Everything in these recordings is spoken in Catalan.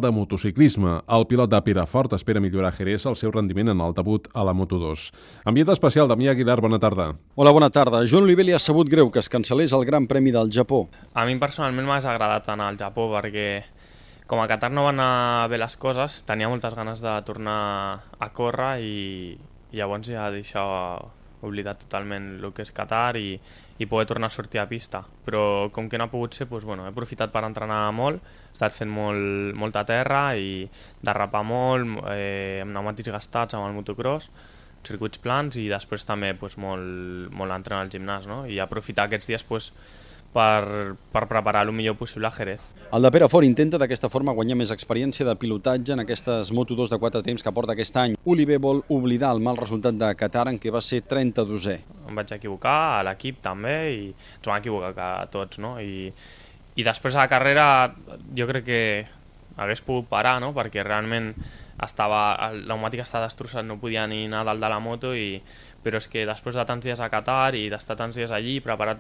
de motociclisme. El pilot de Perafort espera millorar a Jerez el seu rendiment en el debut a la Moto2. Ambient especial, Damià Aguilar, bona tarda. Hola, bona tarda. Joan Oliver li ha sabut greu que es cancel·lés el Gran Premi del Japó. A mi personalment m'ha agradat anar al Japó perquè com a Qatar no van anar bé les coses, tenia moltes ganes de tornar a córrer i llavors ja deixava oblidat totalment el que és Qatar i poder tornar a sortir a pista. Però com que no ha pogut ser, doncs, he aprofitat per entrenar molt, he estat fent molta terra i derrapar molt, amb pneumàtics gastats amb el motocross, circuits plans i després també molt entrenar al gimnàs, no? I aprofitar aquests dies per preparar el millor possible a Jerez. El de Perafort intenta d'aquesta forma guanyar més experiència de pilotatge en aquestes Moto2 de 4 temps que porta aquest any. Oliver vol oblidar el mal resultat de Qatar en què va ser 32è. Em vaig equivocar, a l'equip també, i ens vam equivocar tots, no? I després a la carrera jo crec que hagués pogut parar, no? Perquè realment el pneumàtic estava destrossat, no podia ni anar dalt de la moto, però és que després de tants dies a Qatar i d'estar tants dies allí, preparar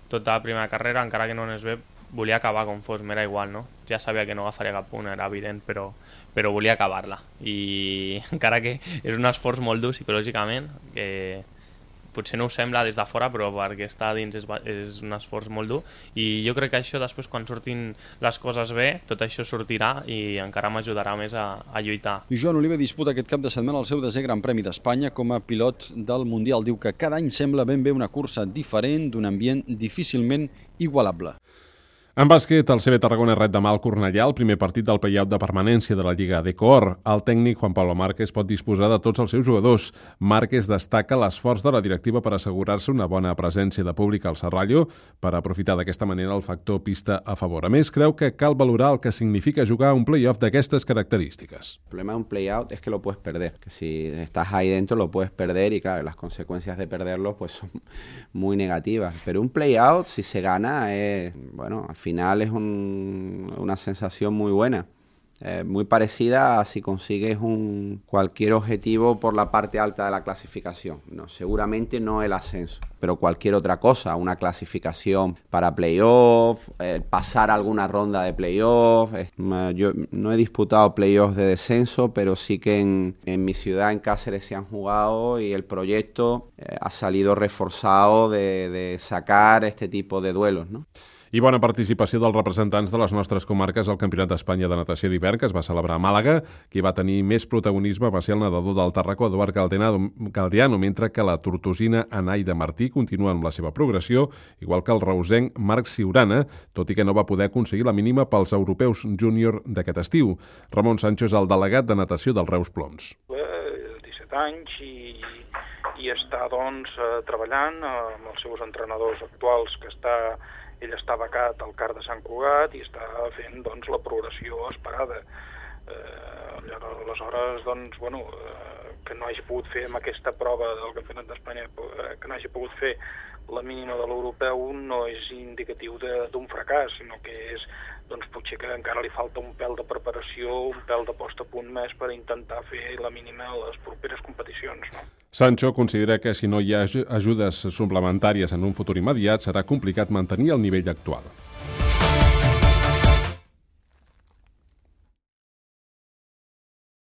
tota la primera carrera, encara que no anés bé, volia acabar com fos, m'era igual, no? Ja sabia que no agafaria cap punt, era evident, però volia acabar-la. I encara que és un esforç molt dur psicològicament, que potser no ho sembla des de fora, però perquè està dins és un esforç molt dur. I jo crec que això després, quan surtin les coses bé, tot això sortirà i encara m'ajudarà més a lluitar. I Joan Oliver disputa aquest cap de setmana el seu 10è Gran Premi d'Espanya com a pilot del Mundial. Diu que cada any sembla ben bé una cursa diferent, d'un ambient difícilment igualable. En bàsquet, el CB Tarragona ret demà al Cornellà el primer partit del play-out de permanència de la Lliga d'Ecor. El tècnic Juan Pablo Márquez pot disposar de tots els seus jugadors. Márquez destaca l'esforç de la directiva per assegurar-se una bona presència de públic al Serrallo per aprofitar d'aquesta manera el factor pista a favor. A més, creu que cal valorar el que significa jugar un play-off d'aquestes característiques. El problema de un play-out es que lo puedes perder, que si estás ahí dentro lo puedes perder y claro, las consecuencias de perderlo pues son muy negativas. Pero un play-out, si se gana, bueno, al final es una sensación muy buena, muy parecida a si consigues cualquier objetivo por la parte alta de la clasificación. No, seguramente no el ascenso, pero cualquier otra cosa, una clasificación para playoff, pasar alguna ronda de playoff. Yo no he disputado playoffs de descenso, pero sí que en mi ciudad, en Cáceres, se han jugado y el proyecto ha salido reforzado de sacar este tipo de duelos, ¿no? I bona participació dels representants de les nostres comarques al Campionat d'Espanya de Natació d'hivern que es va celebrar a Màlaga. Qui va tenir més protagonisme va ser el nedador del Tarracó, Eduard Galdiano, mentre que la tortosina Anaida Martí continua amb la seva progressió, igual que el reusenc Marc Siurana, tot i que no va poder aconseguir la mínima pels europeus júnior d'aquest estiu. Ramon Sancho és el delegat de natació del Reus Ploms. 17 anys i està treballant amb els seus entrenadors actuals, que ell està becat al CAR de Sant Cugat i està fent la progressió esperada. Aleshores, que no hagi pogut fer amb aquesta prova del Campionat d'Espanya, que no hagi pogut fer la mínima de l'europeu, no és indicatiu d'un fracàs, sinó que és potser que encara li falta un pèl de preparació, un pèl de post a punt més per intentar fer la mínima a les properes competicions, no? Sancho considera que si no hi ha ajudes suplementàries en un futur immediat serà complicat mantenir el nivell actual.